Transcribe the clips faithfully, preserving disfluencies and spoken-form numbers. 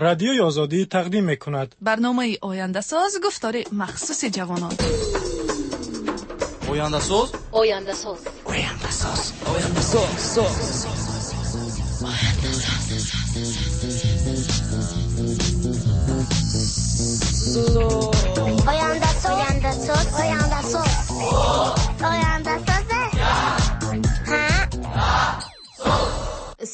Радиои Озодӣ тақдим мекунад. Барномаи Ояндасоз, гуфтори махсуси ҷавонон. Ояндасоз, Ояндасоз, Ояндасоз, Ояндасоз, соз. Ояндасоз, Ояндасоз, Ояндасоз, Ояндасоз.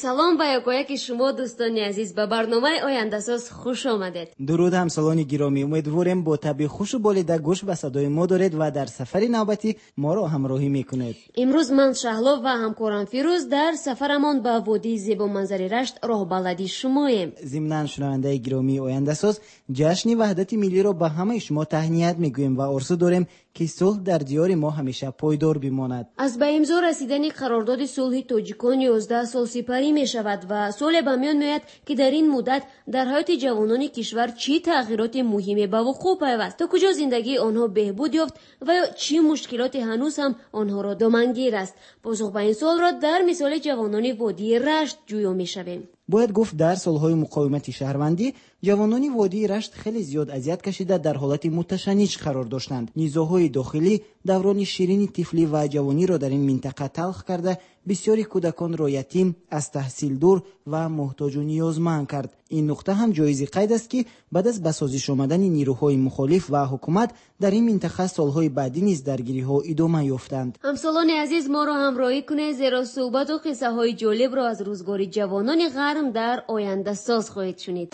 Салом ба якояки шумо, дӯстони азиз, ба барномаи Ояндасоз хуш омадед. Дуруд, ҳамсолони гиромӣ. Умедворем бо табъи хушу болида гӯш ба садои мо доред ва дар сафари навбатӣ моро ҳамроҳӣ мекунед. Имрӯз ман Шаҳло ва ҳамкорам Фирӯз дар сафарамон ба водии зебоманзари Рашт роҳбалади шумоем. Зимнан, шунавандаи гиромии Ояндасоз, ҷашни ваҳдати миллиро ба ҳамаи шумо таҳният мегӯем ва орзу дорем, ки сулҳ дар диёри мо ҳамеша пойдор бимонад. Аз ба имзо расидани қарордоди сулҳи тоҷикон ёздаҳ сол сипарӣ мешавад ва суоле ба миён меояд, ки дар ин муддат дар ҳаёти ҷавонони кишвар чӣ тағйироти муҳиме ба вуқӯъ пайваст, то куҷо зиндагии онҳо беҳбуд ёфт ва ё чӣ мушкилоте ҳанӯз ҳам онҳоро домангир аст. Посух ба ин суолро дар мисоли ҷавонони водии Рашт ҷӯё мешавем. Бояд гуфт, дар солҳои муқовимати шаҳрвандӣ ҷавонони водии Рашт хеле зиёд азият кашида дар ҳолати муташанниҷ қарор доштанд. Низоъҳои дохилӣ даврони ширини тифлӣ ва ҷавониро дар ин минтақа талх карда, бисёри кӯдаконро ятим, аз таҳсил дур ва муҳтоҷу ниёзманд кард. Ин нуқта ҳам ҷоизи қайд аст, ки баъд аз ба созиш омадани нирӯҳои мухолиф ва ҳукумат дар ин минтақа солҳои баъдӣ низ даргириҳо идома ёфтанд. Ҳамсолони азиз, моро ҳамроҳӣ кунед, зеро суҳбату қиссаҳои ҷолибро аз рӯзгори ҷавонони ғарм дар Ояндасоз хоҳед шунид.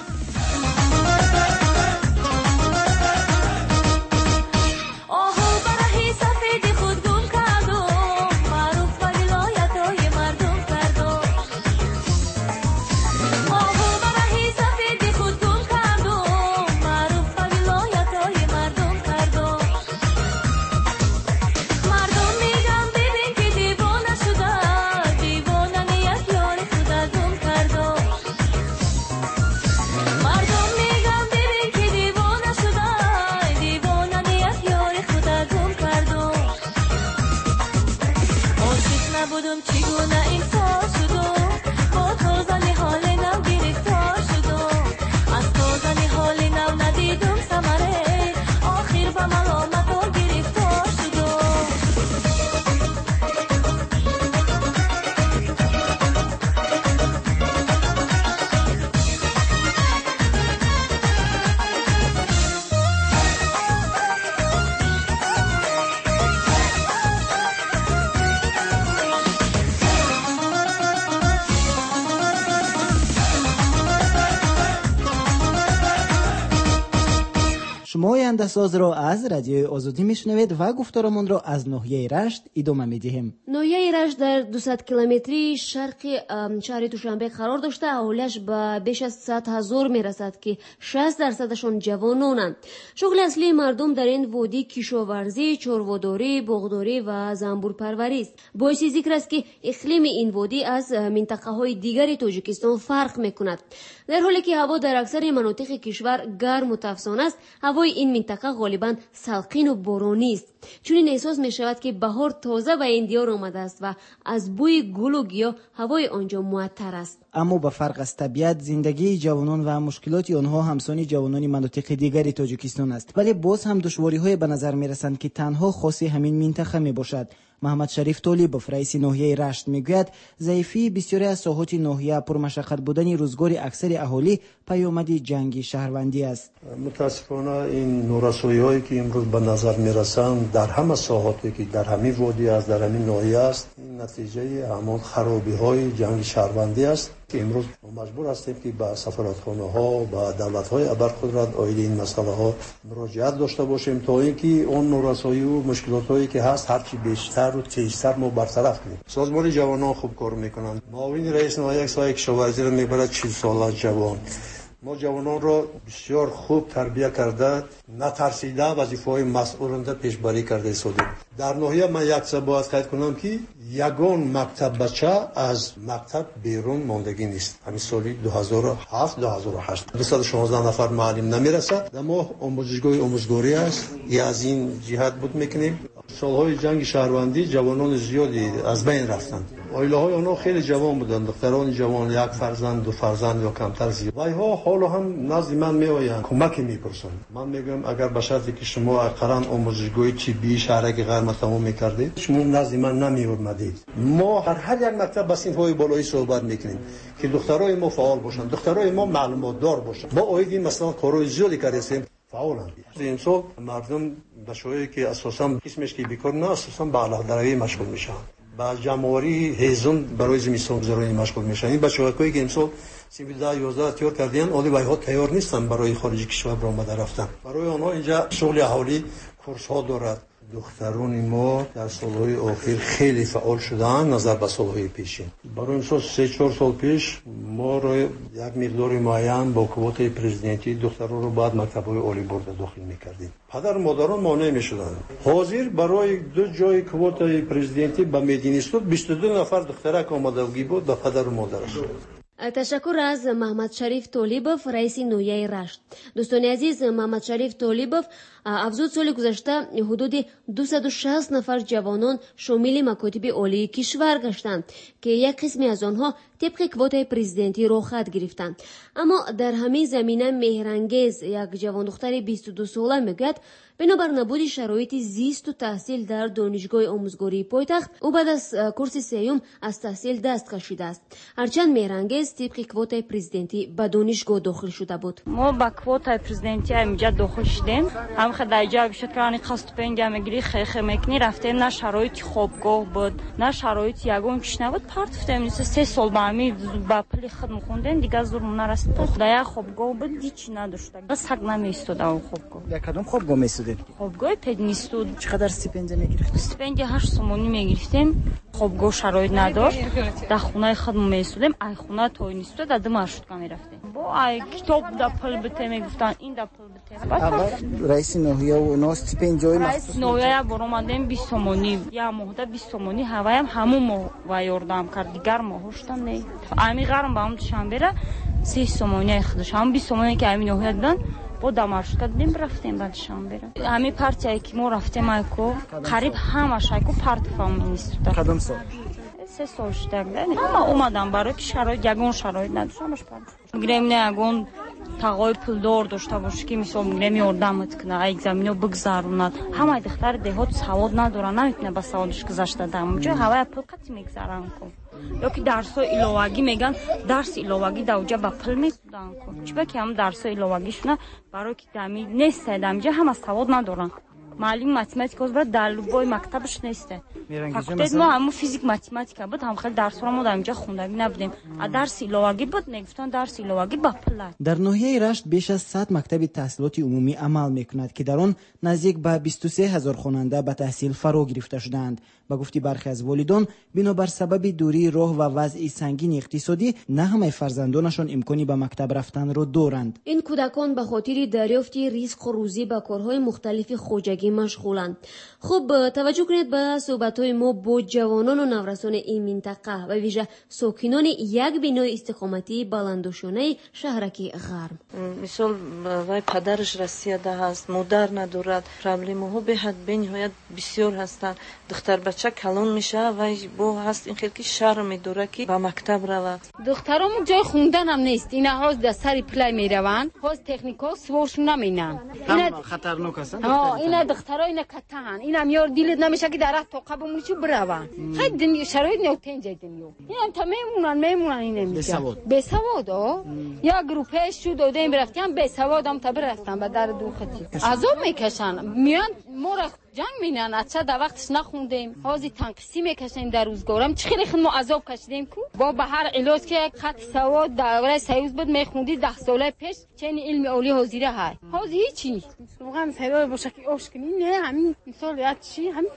Шумо Ояндасозро аз Радиои Озодӣ мешунавед ва гуфторамонро аз ноҳияи Рашт идома медиҳем. Ноҳияи Рашт дар дусад километрии шарқи шаҳри Душанбе қарор дошта, аҳолиаш ба беш аз сад ҳазор мерасад, ки шаст дарсадашон ҷавононанд. Шуғли аслии мардум дар ин водӣ кишоварзӣ, чорводорӣ, боғдорӣ ва занбурпарварист. Боиси зикр аст, ки иқлими ин водӣ аз минтақаҳои дигари Тоҷикистон фарқ мекунад. Дар ҳоле ки ҳаво дар аксари манотиқи кишвар гарму тафсон аст, ҳавои ин минтақа ғолибан салқину боронист. Чунин эҳсос мешавад, ки баҳор тоза ба ин диёр омадааст ва аз бӯи гулу гиёҳ ҳавои он ҷо муаттар аст. Аммо ба фарқ аз табиат, зиндагии ҷавонон ва мушкилоти онҳо ҳамсони ҷавонони манотиқи дигари Тоҷикистон аст. Вале боз ҳам душвориҳое ба назар мерасанд, ки танҳо хоси ҳамин минтақа мебошад. Маҳмадшариф Толибов, раиси ноҳияи Рашт, мегӯяд, заифии бисёре аз соҳоти ноҳия, пурмашаққат будани рӯзгори аксари аҳолӣ паёмади ҷанги шаҳрвандӣ аст. Мутаассифона, ин норасоиҳое ки имрӯз ба назар мерасанд дар ҳама соҳоте ки дар ҳамин водӣ аст, дар ҳамин ноҳия аст, ин натиҷаи ҳамон харобиҳои ҷанги шаҳрвандӣ аст, ки имрӯз мо маҷбур ҳастем, ки ба сафоратхонаҳо, ба давлатҳои абарқудрат оиди ин масъалаҳо муроҷиат дошта бошем, то ин ки он норасоиву мушкилотҳое ки ҳаст ҳарчи бештару тезтар мо бартараф кунем. Созмони ҷавонон хуб кор мекунанд. Муовини раис ноҳия як соҳаи кишоварзиро мебарад, чил сола ҷавон. Мо ҷавононро бисёр хуб тарбия карда, натарсида вазифаҳои масъулонда пешбарӣ карда истодем. Дар ноҳия ман як чиза бояд қайд кунам, ки ягон мактаббача аз мактаб берун мондагӣ нест. Ҳамин соли ду ҳазору ҳафт, ду ҳазору ҳашт дусаду шонздаҳ нафар муаллим намерасад. Дар моҳ омӯзишгоҳи омӯзгорӣ аст, я аз ин ҷиҳат буд мекунем. Солҳои ҷанги шаҳрвандӣ ҷавонони зиёде аз байн рафтанд. Оилаҳои онҳо хеле ҷавон буданд, духтарони ҷавон, як фарзанд, ду фарзанд ё камтар зиёд. Вайҳо ҳоло ҳам назди ман меоянд, кӯмаке мепурсанд. Ман мегӯям агар ба шарте ки шумо ақаллан омӯзишгоҳи тиббии шаҳраки Ғарм тамом мекардед, шумо назди ман намеомадед. Мо дар ҳар як мактаб ба синфҳои болоӣ суҳбат мекунем ки духтарони мо фаъол бошанд, духтарони мо маълумотдор бошанд. Мо оид ин масъала корҳои зиёде кардаем, фаъоланд. Имсол мардум бачаҳое ки асосан қисмеш ки бекор на, асосан ба алафдаравӣ машғул мешаванд, ба ҷамъоварии ҳезум барои зимистонгузаронӣ машғул мешаванд. Ин бачаҳое ки имсол синфи даҳ ёздаҳ тайёр карданд, ҳоло вайҳо тайёр нестанд барои хориҷи кишвар баромада рафтан. Барои онҳо инҷа шуғли аҳолӣ курсҳо дорад. Духтарони мо дар солҳои охир хеле фаъол шудаанд назар ба солҳои пешин. Барои мисол се чор сол пеш моро як миқдори муайян бо квотаи президентӣ духтаронро бояд мактабҳои олӣ бурда дохил мекардем. Падару модарон монеъ мешуданд. Ҳозир барои ду ҷои квотаи президентӣ ба мединститут бисту ду нафар духтарак омадагӣ буд ба падару модараш. Ташаккур аз Маҳмадшариф Толибов, раиси ноҳияи Рашт. Дӯстони азиз, Маҳмадшариф Толибов афзуд, соли гузашта ҳудуди дусаду шаст нафар ҷавонон шомили макотиби олии кишвар гаштанд, ки як қисме аз онҳо тибқи квотаи президентӣ роҳхат гирифтанд. Аммо дар ҳамин замина Меҳрангез, як ҷавондухтари бисту ду сола, мегӯяд бинобар набуди шароити зисту таҳсил дар донишгоҳи омӯзгории пойтахт, ӯ баъд аз курси сеюм аз таҳсил даст кашидааст. Ҳарчанд Меҳрангез тибқи квотаи президентӣ ба донишгоҳ дохил шуда буд. Мо ба квотаи президентӣ ҳаминҷа дохил шудем. Ҳамха дар ҷо шуд ки стипендия мегирӣ, хехе мекунӣ, рафтем, на шароити хобгоҳ буд, на шароити ягон чиз набуд. Партофтем, се сол ба ҳамин ба пули худ мехондем, дигар зур нарасид. Дар як хобгоҳ буд, ҳеҷ надошт. Саг намеистод он хобгоҳ. Дар кадом хобгоҳ меистодед? Хобгоҳи пединститут. Чӣ қадар стипендия мегирифтед? Стипендия ҳашт сомонӣ мегирифтем. Хобгоҳ шароит надошт. Дар хонаи худ меистодем, ай хона то институт дар ду маршрутка мерафтем. Бо ай китоб да пул бите мегуфтанд, ин да пул бите. Раиси ноҳия ва онҳо стипендияҳои махсус? Раиси ноҳия як бор омадем, бист сомонӣ, як моҳда бист сомонӣ, ҳаваям ҳамун моҳ ва ёрдам кард, дигар моҳҳошта не. Ами ғарм ба ҳам душанбера се сомонии худаш, ҳамун бист сомоние ки ами ноҳия доданд, бо дар маршрутка дидем, рафтем ба душанбера. Ҳамин партияе ки мо рафтем айко, қариб ҳамаш айко партофам института. Кадом сол? Се сол шудак. Ҳама омадам барои ки шароит, ягон шароит надошт, ҳамаш партоф. Гирем не ягон тағои пулдор дошта бошӣ ки мисол гирем ёрдамат кунад, экзамино бигзаронад. Ҳамаи духтари деҳот савод надоранд, наметавонад ба саводаш гузашта дар ҳамонҷо ҳавая пул қатъи мегзаранд ку. Ё ки дарсҳои иловагӣ мегӯянд, дарси иловагӣ дар оҷа ба пул месуданд ку. Чиба ки ҳамн дарсҳои иловагишона барои ки дами нестае, дамиҷа ҳама савод надоранд. Муаллими математика ҳозир дар любой мактабаш несте. Факултет мо ҳамун физик математика буд, ҳам хеле дарсҳоро мо дар инҷа хондагӣ набудем. А дарси иловагӣ буд, мегуфтанд дарси иловагӣ ба пул аст. Дар ноҳияи Рашт беш аз сад мактаби таҳсилоти умумӣ амал мекунад, ки дар он наздик ба бисту се ҳазор хонанда ба таҳсил фаро гирифта шудаанд. Ба гуфти бархе аз волидон, бинобар сабаби дурии роҳ ва вазъи сангини иқтисодӣ, на ҳамаи фарзандонашон имкони ба мактаб рафтанро доранд. Ин кӯдакон ба хотири дарёфти ризқу рӯзӣ ба корҳои мухталифи хоҷагӣ машғуланд. Хуб, таваҷҷӯҳ кунед ба суҳбатҳои мо бо ҷавонону наврасони ин минтақа ва вижа сокинони як бинои истиқоматии баландошёнаи шаҳраки Ғарм. Мисол, вай падараш Россияда ҳаст, модар надорад, проблемаҳо беҳад бениҳоят бисёр ҳастанд. Духтарбача калон мешавад, вай бо ҳаст ин хел ки шарм медорад ки ба мактаб равад. Духтаромон ҷои хунданам нест, ина ҳоз дар сари пулай мераванд, ҳоз техникаҳо суворшон наминанд. Хатарнок ҳастанд. Ина духтаро ина катаҳанд, инам ёр дилат намешавад ки дар роҳ тоқа бимонӣ чу бираванд. Хай дунё шароит нотенҷа дунё. Инам та мемонанд, мемонанд ина миҷа. Бесавод. Бесавод, о. Як группа шу додем рафтем, бесавод ам та бирафтан ба дар ду хати. Азоб мекашанд, меоянд моро ҷанг менанд, ача дар вақташ нахондем, ҳозир танқисӣ мекашем дар рӯзгорам. Чӣ хеле худ мо азоб кашидем ку? Бо ба ҳар илоҷ ки як хати савод давраи союз буд мехондӣ даҳ сола пеш, чени илми олӣ ҳозира ҳай. Ҳозир ҳеҷи. Суған сарои боша ки ош кунӣ, не, ҳамин мисол як чӣ, ҳамин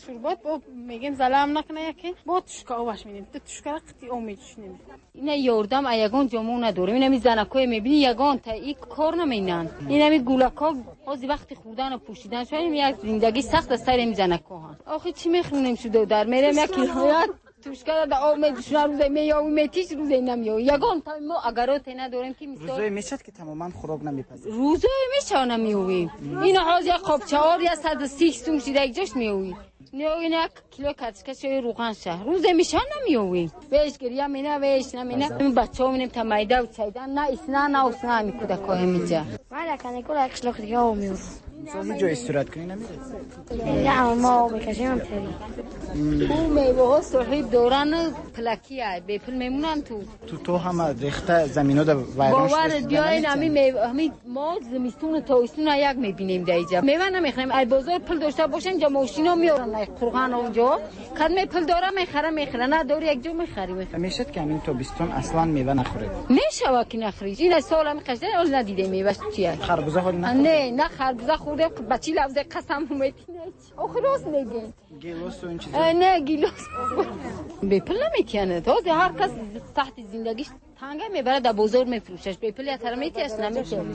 шурбот бо мегем залам накна яке, бо тушка оваш медем. Ту тушкара қити об мечушнем. Ина ёрдам а ягон ҷо мо надорем. Инами занакое мебинӣ ягон та и кор наменанд. Инами гулакҳо ҳозир вақти хӯрдану пӯшидан шояд як зиндагӣ сахт аз сари занакҳо. Охи чӣ мехӯнем шудо дар мерем як килоят тушкара да об медушна рӯзе меёвӣ метиш рӯзе намеёвӣ. Ягон та мо агароте надорем ки мисол рӯзое мешавад ки тамоман хӯрок намепазед. Рӯзое мешавад намеёвем. Ина ҳозир як қобчаор як саду си сум шида як ҷош меёвӣ. Не як кило картошка шои равған ша. Рӯзе меша намеёвем. Веш гиря мена веш намена. Бачаҳо менем та майда ва чайда на исна на усна ами кӯдакҳо ҳамиҷа. Ман дар каникул як қишлоқи дига об меёрам. Мисол ҳеҷ ҷо истироҳат кунӣ намеред? Не, мо об мекашем тери. Ӯ меваҳо соҳиб доран пулакия, бепул мемонанд ту. Ту то ҳама рехта замино да вайрон шуда. Бовар биёен ҳами ҳами мо зимистон тобистон як мебинем дар инҷа. Мева намехарем. Ай бозор пул дошта бошем ҷа мошино меоранд ай қурған онҷо. Кадме пул дора мехара мехара, надори як ҷо мехари. Мешад ки ҳамин тобистон аслан мева нахӯред? Мешава ки нахӯред. Ин сол ҳами қашда ҳол надидем мева чия. Харбуза ҳол нахӯред? Не, на харбуза хӯрдем, ба чӣ лафзе қасам метинед. Охир рост мегӯем. Гелос ва ин чизо? Не, гелос. Бепул наметиянад. Ҳозир ҳар кас таҳти зиндагиш танга мебарад дар бозор мефурӯшаш. Бепул я тара метиҳаш наметиҳад.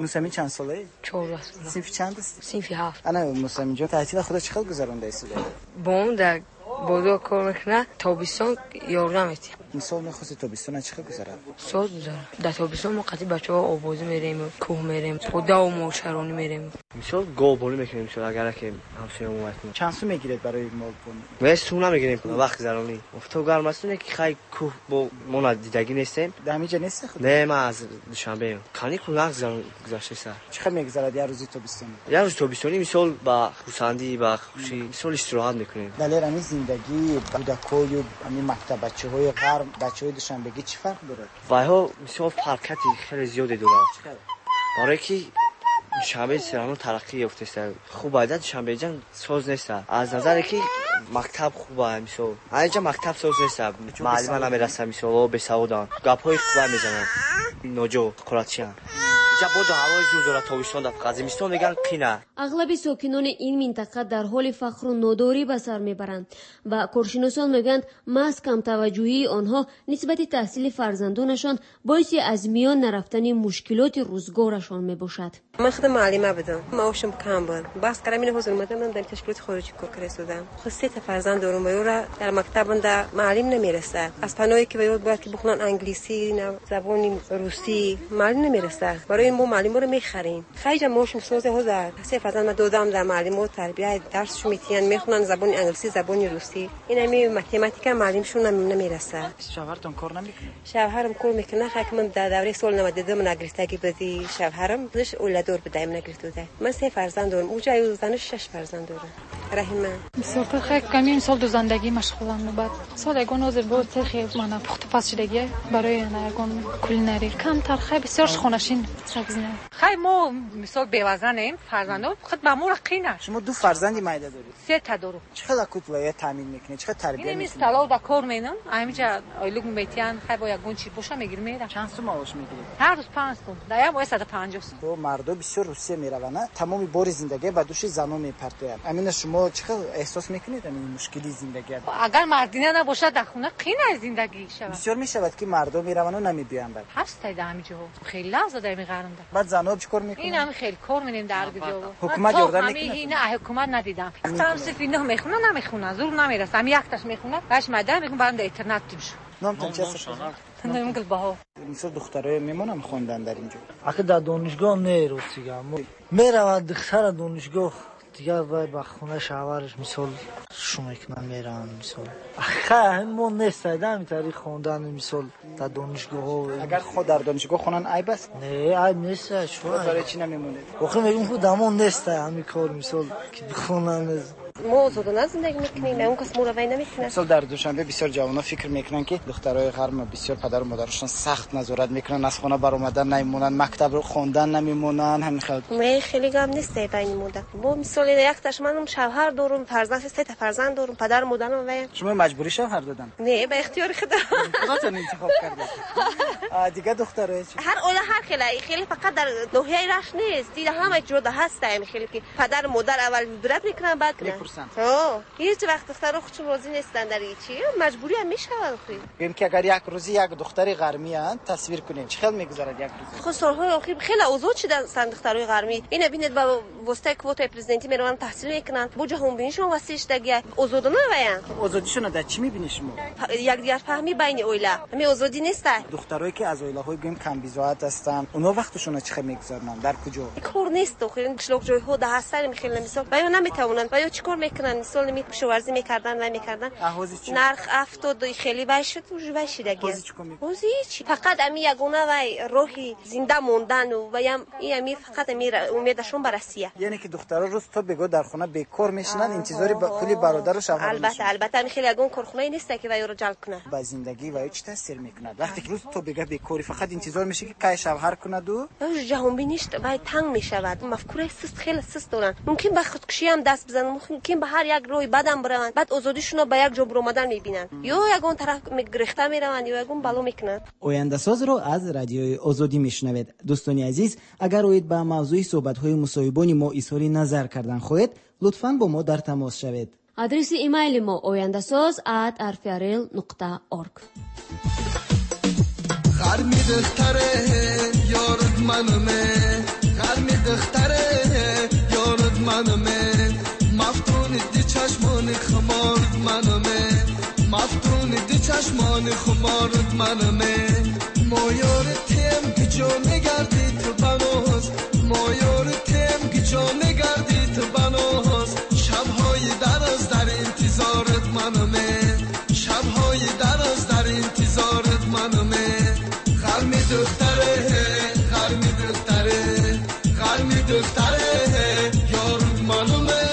Мусамин чанд солаи? Чордаҳ сола. Синфи чанд ҳастӣ? Синфи ҳафт. Ана Мусамин ҷон, таҳтила худо чӣ хел гузаронда истода? Бобом дар бозор кор мекунад, тобистон ёрдам метиҳад. Мисол мехости тобистона чӣ хел гузарад? Соз гузарад. Дар тобистон мо қатъи бачаҳо оббозӣ мерем, кӯҳ мерем, подаву мошаронӣ мерем. Мисол говбонӣ мекунем, мисол агар ки ҳамсоя мо мекунем. Чанд сум мегиред барои молбонӣ? Не, сум намегирем, вақт гузаронӣ. Офтоб гарм аст, не ки хай кӯҳ бо мо надидагӣ нестем. Дар ҳамин ҷо нестӣ худ? Не, ман аз Душанбеем. Каникул нағз гузаштаст. Чӣ хел мегузарад як рӯзи тобистонӣ? Як рӯзи тобистонӣ мисол ба хурсандӣ, ба хушӣ, мисол истироҳат мекунем. Далер, ҳамин зиндагии кӯдакою ҳамин мактаббачаҳои ғарб, бачаҳои душанбегӣ чӣ фарқ дорад? Вайҳо мисол фарқияти хеле зиёде дорад. Барое ки душанбе серано тараққӣ ёфтааст. Хуб айда душанбеҷан соз нест. Аз назаре ки мактаб хуб ай мисол. Айҷа мактаб соз нест. Муаллима намераса мисол, бесаводанд. Гапҳои хуба мезананд. Ноҷо қуратчианд. Инҷа боду ҳавои зур дорад тобистон да фақат зимистон мегӯянд қина. Ағлаби сокинони ин минтақа дар ҳоли фақру нодорӣ ба сар мебаранд ва коршиносон мегӯянд маҳз камтаваҷҷӯҳии онҳо нисбати таҳсили фарзандонашон боиси аз миён нарафтани мушкилоти рӯзгорашон мебошад. Ман худам муаллима будам, маошам кам буд. Баҳс кардам, ин ҳозир омадам, дар ташкилоти хориҷӣ кор карда истодам. Худ се та фарзанд дорам ва ёра дар мактабанда муаллим намерасад. Аз паноҳе ки ва бояд ки бихонанд англисӣ, забони русӣ, муаллим намерасад. Барои мо муаллиморо мехарем. Хайҷа маошам созе ҳозир се фарзанд ма додам дар муаллимо тарбия дарсшо метиҳанд, мехонанд забони англисӣ, забони русӣ. Ин ҳами математика муаллимшон намерасад. Шавҳартон кор намекунад? Шавҳарам кор мекунад, хай ки ман дар давраи сол наваду ду нагирифтагӣ буди шавҳарам, худаш оиладор буда, им нагирифта буда. Ман се фарзанд дорам, уҷа занаш шаш фарзанд дорам. Раҳима. Бисёртар хай ками мисол дузандагӣ машғуланд баъд. Сол ягон ҳозир бо цехи мана пухтупаз шудагӣ барои ягон кулинарӣ. Камтар хай бисёр хонашин сабзина. Хай мо мисол бевазанем, фарзандон худ ба моро қина. Шумо ду фарзанди майда доред? Се та дорам. Чӣ хел акутлая таъмин мекунед? Чӣ хел тарбия мекунед? Ин столов да кор менам, ҳаминҷа ойлук метиҳанд, хай бо ягон чӣ боша мегирам мерам. Чанд сум маош мегиред? Ҳар рӯз панҷ сум. Дар як моҳ саду панҷоҳ сум. Бо мардо бисёр Русия мераванд, тамоми бори зиндагӣ ба души занон мепартоянд. Амина шумо чӣ хел эҳсос мекунед ҳамин мушкили зиндагиро? Агар мардина набошад дар хона қина зиндагӣ шавад. Бисёр мешавад ки мардо мераванд намебиёянд баъд. Ҳаст дар ҳамин ҷоҳо. Хеле лаҳза дар ҳамин ғармда. Баъд занҳо чӣ кор мекунанд? Ин ҳам хеле кор менем дар ҷо. Ҳукумат ёрдам мекунад? Ин ҳукумат надидам. Там сифи нӯҳ мехонад, намехонад, зур намерасад. Ҳамин якташ мехонад, баъдаш майда мегӯям барам дар интернат тим шуд. Номтон чи аст? Номам Гулбаҳор. Мисол духтароя мемонанд хондан дар ин ҷо? Ака дар донишгоҳ не, ростига. Мераванд духтара донишгоҳ, дигар вай ба хонаи шавҳараш мисол шу мекунанд, мераванд мисол. Хай мо нест айда ҳамин тариқ хондан мисол дар донишгоҳҳо. Агар худ дар донишгоҳ хонанд айб аст? Не, айб нест. Барои чӣ намемонед? Охир мегӯм худ дамон нест ҳамин кор мисол ки бихонанд. Мо озодона зиндагӣ мекунем, он кас моро вай намекунад. Мисол дар Душанбе бисёр ҷавонон фикр мекунанд ки духтарои ғарб бисёр падару модарашон сахт назорат мекунанд, аз хона баромадан намемонанд, мактабро хондан намемонанд, ҳамин хел. Не, хеле гап нест байни мо. Бо мисол якташ манам шавҳар дорум, фарзанд се та фарзанд дорум, падару модарам вай. Шумо маҷбурӣ шавҳар додан? Не, ба ихтиёри худам. Худатон интихоб кардед. Дигар духтарои чӣ? Ҳар оила ҳар хел, хеле фақат дар ноҳияи Рашт нест, дида ҳама ҷода ҳаст, хеле ки падару модар аввал вибрат мекунанд, баъд мепурсанд. Ҳо, ҳеҷ вақт духтарҳо худшон розӣ нестанд дар ҳеҷ чӣ. Маҷбурӣ ҳам мешавад охӣ. Гӯем ки агар як рӯзе як духтари ғармӣ тасвир кунем, чӣ хел мегузарад як рӯз? Хуб, солҳои охир хеле озод шуданд духтарҳои ғармӣ. Ина бинед, ба воситаи квотаи президентӣ мераванд, таҳсил мекунанд. Бо ҷаҳонбинишон васеъ шудагӣ, озодона ваянд. Озодишонро дар чӣ мебинед шумо? Якдигарфаҳмӣ байни оила. Ҳамин озодӣ нест. Духтарое ки аз оилаҳои гӯем камбизоат ҳастанд, онҳо вақташонро чӣ хел мегузаронанд? Дар куҷо? Кор нест охир. Қишлоқҷойҳо дар ҳастанд хеле мисол. Ва ё наметавонанд. Ва ё чӣ кор мекунанд? Мисол кишоварзӣ мекарданд, вай мекарданд. Нарх афтод, хеле вай шуд, уже вай шидагӣ. Ҳозир ҳеҷ. Фақат ами ягона вай роҳи зинда мондану ваям ин ами фақат ами умедашон ба Россия. Яъне ки духтаро рӯз то бегоҳ дар хона бекор мешинанд, интизори пули бародару шавҳар. Албатта, албатта, ами хеле ягон корхонае нест ки вайро ҷалб кунад. Ба зиндагӣ вай чӣ таъсир мекунад? Вақте ки рӯз то бегоҳ бекорӣ, фақат интизор мешӣ ки кай шавҳар кунаду? Ҷаҳонбиниш вай танг мешавад. Мафкураи суст, хеле суст доранд. Мумкин ба худкушӣ ҳам даст бизананд, мумкин ба ҳар як роҳи бадам бираванд. Баъд озодишонро ба як ҷо биромадан мебинанд. Ё ягон тараф гирехта мераванд, ё ягон бало мекунанд. Ояндасозро аз радиои Озодӣ мешунавед. Дӯстони азиз, агар оид ба мавзӯи суҳбатҳои мусоҳибони мо изҳори назар кардан хоҳед, лутфан бо мо дар тамос шавед. Адреси имейли мо ояндасоз at rfrl нуқта org. غرمی دختره یارد منمه، غرمی دختره یارد منمه، مفتون دی چشمان خمارد منمه، مفتون دی چشمان خمارد منمه، ما یارتیم که جا نگردی تو بناز، ما یارتیم که جا نگردی تو بناز، شبهای دراز در انتظارت منمه، شبهای دراز در انتظارت منمه، غرمی دختره، غرمی دختره، غرمی دختره یارد منمه.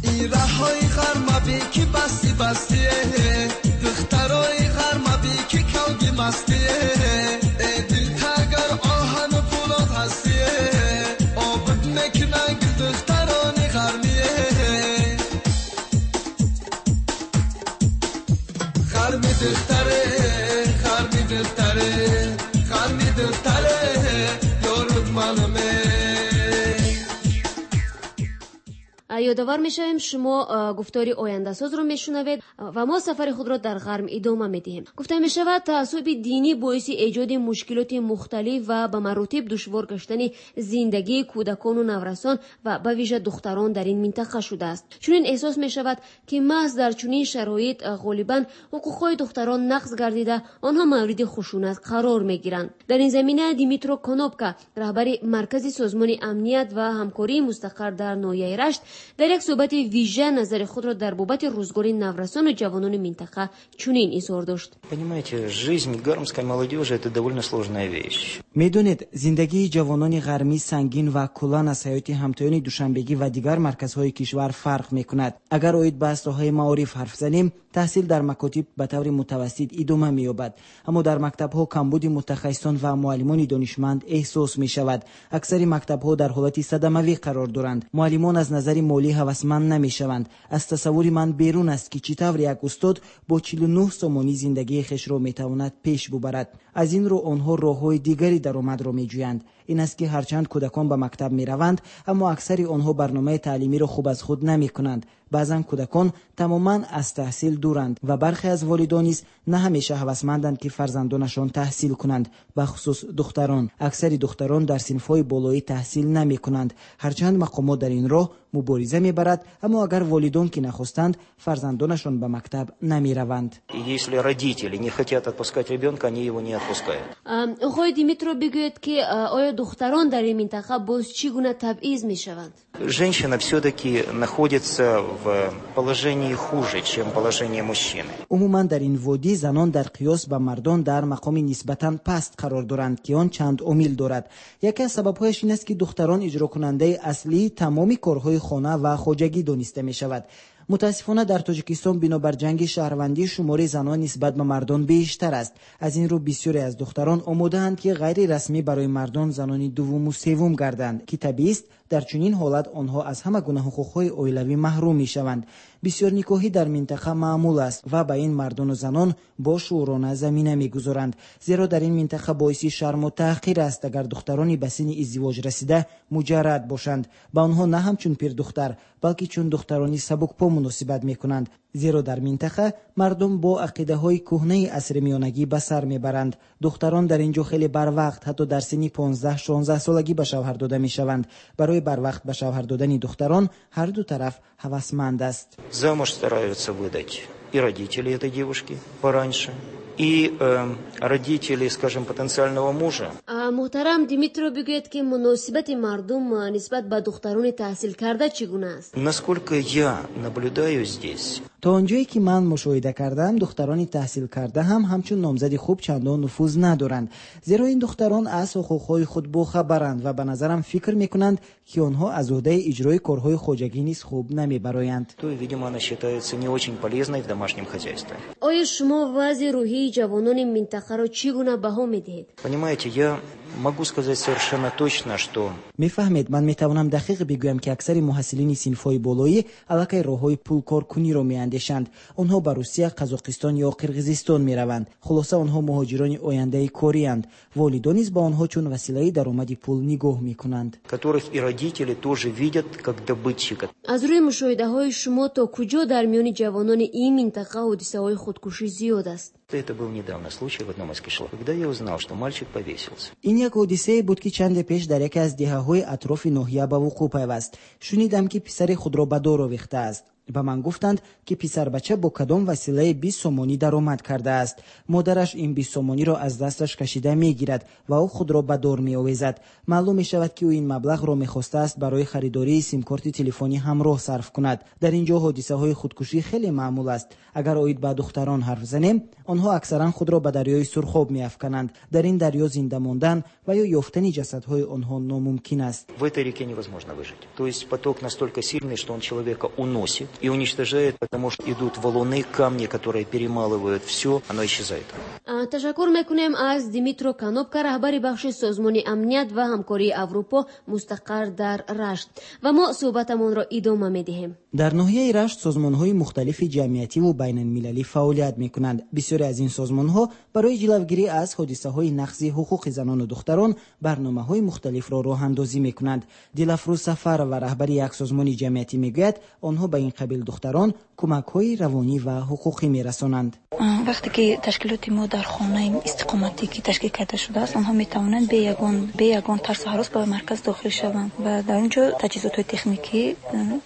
این رهای غرمه بی که بستی بستیه، دخترای غرمه بی که کوگی مستیه، ای دل تگر آهن و پولاد هستیه، آبد میکنن دختران غرمیه، غرمی دختره، غرمی دختره، غرمی دختره یارد منمه. Ёдовар мешавем, шумо гуфтори ояндасозро мешунавед ва мо сафари худро дар ғарм идома медиҳем. Гуфта мешавад, таассуби динӣ боиси эҷоди мушкилоти мухталиф ва ба маротиб душвор гаштани зиндагии кӯдакону наврасон ва ба вижа духтарон дар ин минтақа шудааст. Чунин эҳсос мешавад, ки маҳз дар чунин шароит ғолибан ҳуқуқҳои духтарон нақз гардида, онҳо мавриди хушунат қарор мегиранд. Дар ин замина Димитро Конопка, раҳбари маркази созмони амният ва ҳамкории мустақар дар ноҳияи Рашт, дар як суҳбати вижа назари худро дар бобати рӯзгори наврасону ҷавонони минтақа чунин изҳор дошт. Понимаете, жизнь гармской молодежи это довольно сложная вещь. Медонед, зиндагии ҷавонони ғармӣ сангин ва куллан аз ҳаёти ҳамтоёни душанбегӣ ва дигар марказҳои кишвар фарқ мекунад. Агар оид ба соҳаи маориф ҳарф занем, таҳсил дар макотиб ба таври мутавассит идома меёбад, аммо дар мактабҳо камбуди мутахассисон ва муаллимони донишманд эҳсос мешавад. Аксари мактабҳо дар ҳолати садамавӣ қарор доранд. Муаллимон аз назари молӣ ҳавасманд намешаванд. Аз тасаввури ман берун аст, ки чӣ тавр як устод бо чилу нӯҳ сомонӣ зиндагии хешро метавонад пеш бубарад. Аз ин рӯ онҳо роҳҳои дигари даромадро меҷӯянд. Ин аст ки ҳарчанд кӯдакон ба мактаб мераванд, аммо аксари онҳо барномаи таълимиро хуб аз худ намекунанд. Баъзан кӯдакон тамоман аз таҳсил дуранд ва бархе аз волидон низ на ҳамеша ҳавасманданд, ки фарзандонашон таҳсил кунанд, бахусус духтарон. Аксари духтарон дар синфҳои болоӣ таҳсил намекунанд. Ҳарчанд мақомот дар ин роҳ мубориза мебарад, аммо агар волидон ки нахостанд, фарзандонашон ба мактаб намераванд. Если родители не хотят отпускать ребенка, они его не отпускают. Оқои Димитро, бигӯед, ки оё духтарон дар ин минтақа боз чӣ гуна табъиз мешаванд? Женщина все-таки находится в положении хуже, чем положение мужчины. Умуман дар ин водӣ занон дар қиёс ба мардон дар мақоми нисбатан паст қарор доранд, ки он чанд омил дорад. Яке аз сабабҳояш ин аст, ки духтарон иҷрокунандаи аслии тамоми корҳои хона ва хоҷагӣ дониста мешавад. Мутаассифона дар Тоҷикистон бинобар ҷанги шаҳрвандӣ шумори занон нисбат ба мардон бештар аст. Аз ин рӯ бисёре аз духтарон омодаанд, ки ғайрирасмӣ барои мардон занони дуввуму севум гарданд, ки табиист Дар чунин ҳолат онҳо аз ҳама гуна ҳуқуқҳои оилавӣ маҳрум мешаванд. Бисёрникоҳӣ дар минтақа маъмул аст ва ба ин мардону занон бо шуурона замина мегузоранд, зеро дар ин минтақа боиси шарму таҳқир аст агар духтарони ба синни издивоҷ расида муҷаррад бошанд. Ба онҳо на ҳамчун пирдухтар, балки чун духтарони сабукпо муносибат мекунанд, зеро дар минтақа мардум бо ақидаҳои кӯҳнаи асри миёнагӣ ба сар мебаранд. Духтарон дар ин ҷо хеле барвақт, ҳатто дар синни понздаҳ шонздаҳ солагӣ ба шавҳар дода мешаванд. Барои барвақт ба шавҳар додани духтарон ҳар ду тараф ҳавасманд аст. Замуж стараются выдать и родители этой девушки пораньше, и э, родители, скажем, потенциального мужа. Муҳтарам Димитро, бигӯед, ки муносибати мардум нисбат ба духтарони таҳсилкарда чӣ гуна аст? Насколько я наблюдаю здесь, то он ҷое ки ман мушоҳида кардам, духтарони таҳсилкарда ҳам ҳамчун номзади хуб чандон нуфуз надоранд, зеро ин духтарон аз ҳуқуқҳои худ бохабаранд ва ба назарам фикр мекунанд, ки онҳо аз уҳдаи иҷрои корҳои хоҷагӣ низ хуб намебароянд. То, видимо, она считается не очень полезной в домашнем хозяйстве. Оё шумо вазъи рӯҳии ҷавонони минтақаро чӣ гуна баҳо медиҳед? Понимаете, я могу сказать совершенно точно, что мефаҳмед, ман метавонам дақиқ бигӯям, ки аксари муҳассилини синфҳои болоӣ аллакай роҳҳои пулкоркуниро меандешанд. Онҳо ба Русия, Қазоқистон ё Қирғизистон мераванд. Хулоса, онҳо муҳоҷирони ояндаи корианд. Волидон низ ба онҳо чун василаи даромади пул нигоҳ мекунанд. Которых и родители тоже видят как добытчика. Аз рӯи мушоҳидаҳои шумо, то куҷо дар миёни ҷавонони ин минтақа ҳодисаҳои худкушӣ зиёд аст? Это был недавно случай в одном из кишлаков, когда я узнал, что мальчик повесился. Ин як ҳодисае буд, ки чанде пеш дар яке аз деҳаҳои атрофи ноҳия ба вуқӯъ пайваст. Шунидам, ки писари худро ба дор овехтааст. Ба ман гуфтанд, ки писарбача бо кадом василаи бист сомонӣ даромад кардааст. Модараш ин бист сомониро аз дасташ кашида мегирад ва ӯ худро ба дор меовезад. Маълум мешавад, ки ӯ ин маблағро мехостааст барои харидории симкорти телефонӣ ҳамроҳ сарф кунад. Дар ин ҷо ҳодисаҳои худкушӣ хеле маъмул аст. Агар оид ба духтарон ҳарф занем, онҳо аксаран худро ба дарёи Сурхоб меафкананд. Дар ин дарё зинда мондан ва ё ёфтани ҷасадҳои онҳо номумкин аст. В этой реке невозможно выжить. То есть поток настолько сильный, что он человека уносит и уничтожает, потому что идут валуны, камни, которые перемалывают все, оно исчезает. Ташаккур мекунем аз Димитро Канопка, раҳбари бахши Созмони амният ва ҳамкории Аврупо мустақар дар Рашт. Ва мо суҳбатамонро идома медиҳем. Дар ноҳияи Рашт созмонҳои мухталифи ҷамъиятиву байналмилалӣ фаъолият мекунанд. Бисёре аз ин созмонҳо барои ҷилавгирӣ аз ҳодисаҳои нақзи ҳуқуқи занону духтарон барномаҳои мухталифро роҳандозӣ мекунанд. Дилафрӯз Сафарова, раҳбари як созмони ҷамъиятӣ, мегӯяд, онҳо ба ин қабил духтарон кӯмакҳои равонӣ ва ҳуқуқӣ мерасонанд. Вақте ки ташкилоти мо дар хонаи истиқоматӣ ки ташкил карда шудааст, онҳо метавонанд бе ягон бе ягон тарсу ҳарос ба марказ дохил шаванд ва дар он ҷо таҷҳизотҳои техникӣ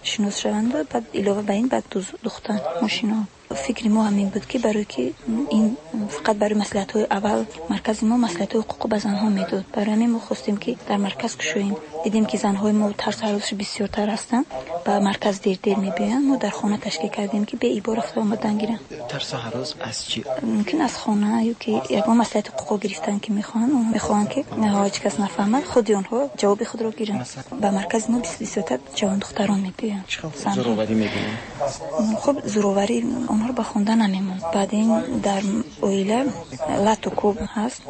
шинос шаванд ва баъд илова ба ин баъд духтан мошино. Фикри мо ҳамин буд, ки барои ки ин фақат барои маслиҳатҳои аввал маркази мо маслиҳатҳои ҳуқуқӣ ба занҳо медод. Барои ҳамин мо хостем, ки дар марказ кушоем. Дидем, ки занҳои мо тарсу ҳаросш бисёртар ҳастанд, ба марказ дер-дер мебиёянд. Мо дар хона ташкил кардем, ки беибо рафта омадан гиранд. Тарсу ҳарос аз чӣ? Мумкин аз хона ё ки ягон маслиҳати ҳуқуқӣ гирифтан, ки мехоҳанд. Онҳо мехоҳанд, ки ҳеҷ кас нафаҳмад, худи онҳо ҷавоби худро гиранд. Ба маркази мо бисёртар ҷавондухтарон мебиёянд. Зӯроварӣ мебинем? Хуб, зӯроварӣ онҳоро ба хонда намемонд. Баъд ин дар оила лату кӯб ҳаст,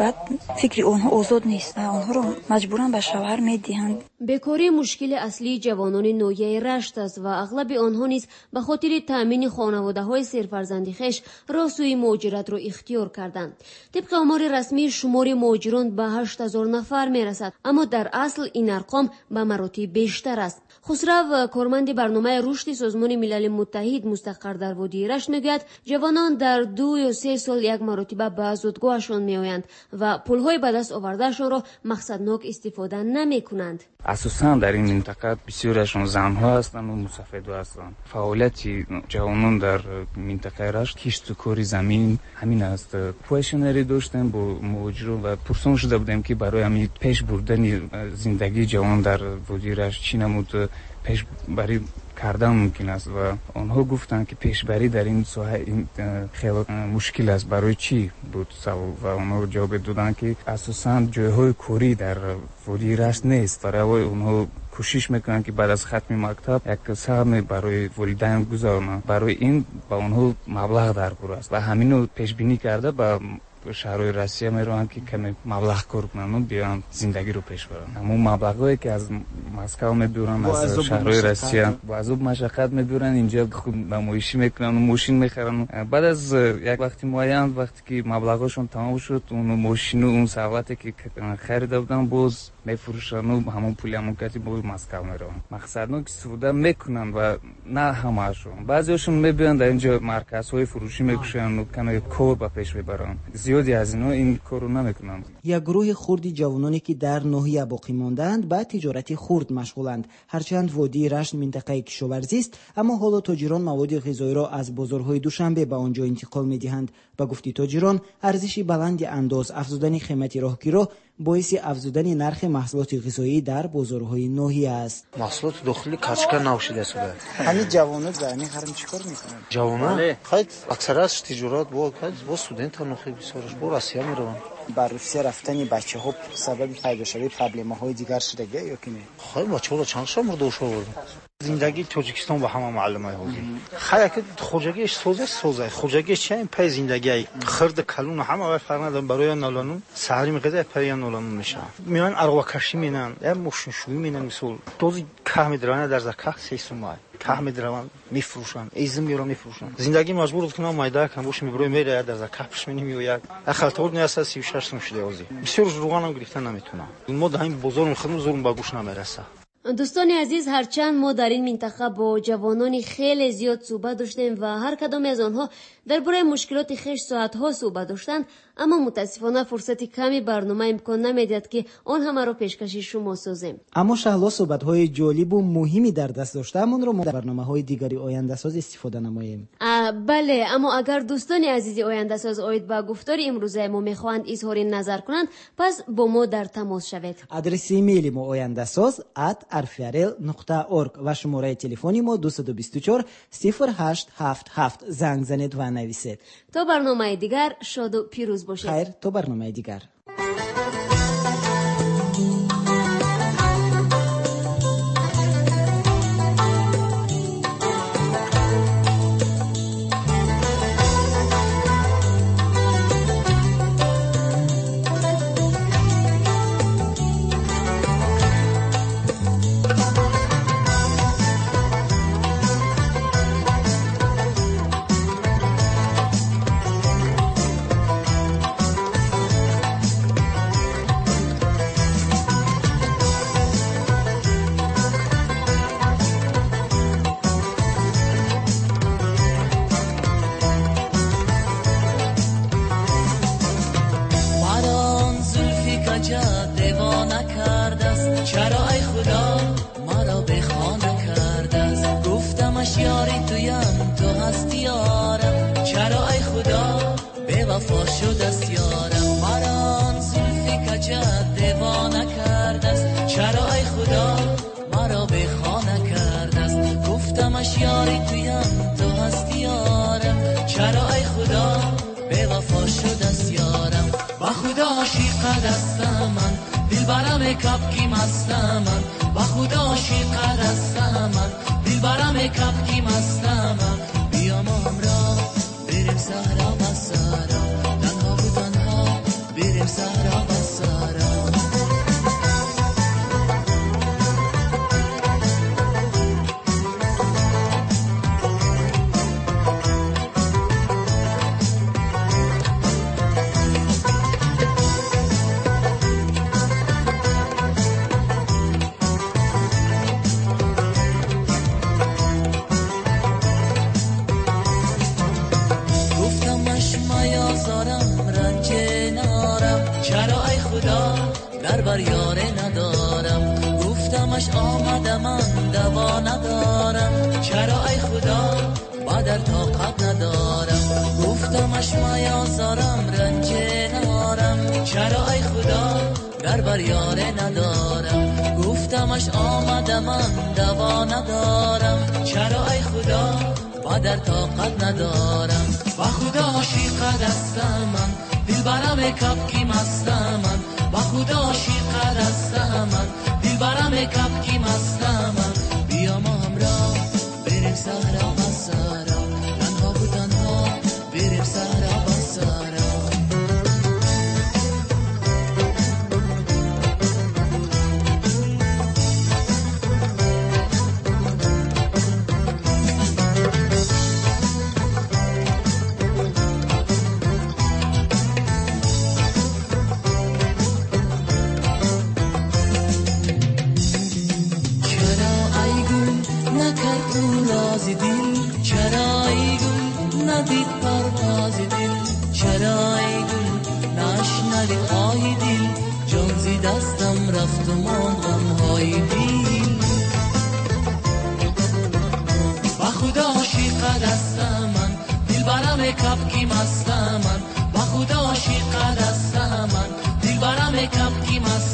баъд фикри онҳо озод нест ва онҳоро маҷбуран ба шавҳар медиҳанд. Бекорӣ мушкили аслии ҷавонони ноҳияи Рашт аст ва ағлаби онҳо низ ба хотири таъмини хонаводаҳои серфарзанди хеш роҳ сӯи муҳоҷиратро ихтиёр карданд. Тибқи омори расмӣ, шумори муҳоҷирон ба ҳашт ҳазор нафар мерасад, аммо дар асл ин арқом ба маротиб бештар аст. Хусрав, корманди барномаи рушди Созмони Милали Муттаҳид мустақар дар водии Рашт, мегӯяд, ҷавонон дар ду ё се сол як маротиба ба зодгоҳашон меоянд ва пулҳои ба даст овардаашонро мақсаднок истифода намекунанд. Асосан дар ин минтақа бисёриашон занҳо ҳастанд ва мусафедҳо ҳастанд. Фаъолияти ҷавонон дар минтақаи Рашт кишту кори замин ҳамин аст. Квешенери доштем бо муҳоҷирон ва пурсон шуда будем, ки барои ҳамин пеш бурдани зиндагии ҷавон дар водии Рашт чӣ намуд пешбарӣ кардан мумкин аст ва онҳо гуфтанд, ки пешбарӣ дар ин соҳа хеле мушкил аст. Барои чӣ буд савол ва онҳо ҷавоб доданд, ки асосан ҷойҳои корӣ дар водии Рашт нест. Барои онҳо кӯшиш мекунанд, ки баъд аз хатми мактаб як саҳме барои волидайн гузаронанд. Барои ин ба онҳо маблағ даркор аст ва ҳаминро пешбинӣ карда ба шаҳрҳои Россия мераванд, ки каме маблағ кор кунанд ва биёянд зиндагиро пеш баранд. Ҳамон маблағҳое ки аз Москва мебаранд, аз шаҳрҳои Россия бо азоб машаққат мебаранд, инҷо худ намоишӣ мекунанд, мошин мехаранд. Баъд аз як вақти муайян, вақте ки маблағҳошон тамом шуд, он мошину он сарвате ки харида буданд боз мефурӯшанд ва ҳамон пули ҳамон кати боз Москва мераванд. Мақсадно ки истифода мекунанд ва на ҳамаашон. Баъзеҳошон мебиёянд дар инҷо марказҳои фурӯшӣ мекушоянд ва каме кор ба пеш мебаранд. Зиёде аз инҳо ин корро намекунанд. Як гурӯҳи хурди ҷавононе ки дар ноҳия боқӣ мондаанд ба тиҷорати хурд машғуланд. Ҳарчанд водии Рашт минтақаи кишоварзист, аммо ҳоло тоҷирон маводи ғизоиро аз бозорҳои Душанбе ба он ҷо интиқол медиҳанд. Ба гуфти тоҷирон, арзиши баланди андоз, афзудани қимати роҳкиро боиси афзудани нархи маҳсулоти ғизоӣ дар бозорҳои ноҳия аст. Маҳсулоти дохилӣ качка нав шудааст. Ҳамин ҷавонот дар ҳамин ҳарм чӣ кор мекунанд? Ҷавонон? Хайр, аксараш тиҷорат бо бо студентҳо нохи бисёраш бо Россия мераванд. Ба Русия рафтани бачаҳо сабаби пайдошавии проблемаҳои дигар шудагӣ ё ки не? Хайр, бачаҳоро чанд шаб мурда оварданд. Зиндагии Тоҷикистон ба ҳама маълумай ҳозир. Хайр, ки хоҷагиаш соза соза, хоҷагиаш чӣ пай зиндагиай. Хирд калон ҳама вай фарқ надорад, барои ноланун саҳари мехезад, пай ноланун мешавад. Меоянд арвакашӣ менанд, я мошиншӯӣ менанд, мисол. Дози каҳ медраванд, дар закаҳ се сумай. Каҳ медраванд, мефурӯшанд, изм меоранд, мефурӯшанд. Зиндагӣ маҷбур кунам майда кам бош меброи мераяд дар закаҳ пушмени меояд. Ахалтор не аст си шаш сум шуда ҳозир. Бисёр руғанам гирифта наметавонам. Мо дар ҳамин бозор мехӯрем, зурм ба гӯш намерасад. Дӯстони азиз, ҳарчанд мо дар ин минтақа бо ҷавонони хеле зиёд суҳбат доштем ва ҳар кадоме аз онҳо дар бораи мушкилоти хеш соатҳо суҳбат доштанд, аммо мутаассифона фурсати ками барнома имкон намедиҳад, ки он ҳамаро пешкаши шумо созем. Аммо Шаҳло суҳбатҳои ҷолибу муҳими дар даст доштаамонро мо дар барномаҳои дигари ояндасоз истифода намоем. Бале, аммо агар дӯстони азизи ояндасоз оид ба гуфтори имрӯзаи мо мехоҳанд изҳори назар кунанд, пас бо мо дар тамос шавед. Адреси имейли мо ояндасоз ат рфрл нуқта орг ва шумораи телефони мо дусаду бисту чор сифр ҳашт ҳафт ҳафт. Занг занед ва нависед. То барномаи дигар шоду пирӯз бошед. Хайр, то барномаи дигар. Сара, танҳо бу танҳо, берем сара ба сара. дил. Чарои гул надид парвози дил, чарои гул нашнавид оҳи дил. Ҷон зи дастам рафт ва монд ғамҳои дил. Ба Худо ошиқа дастам ман, дилбарам кабки мастам ман. Ба Худо ошиқа дастам ман, дилбарам кабки мастам.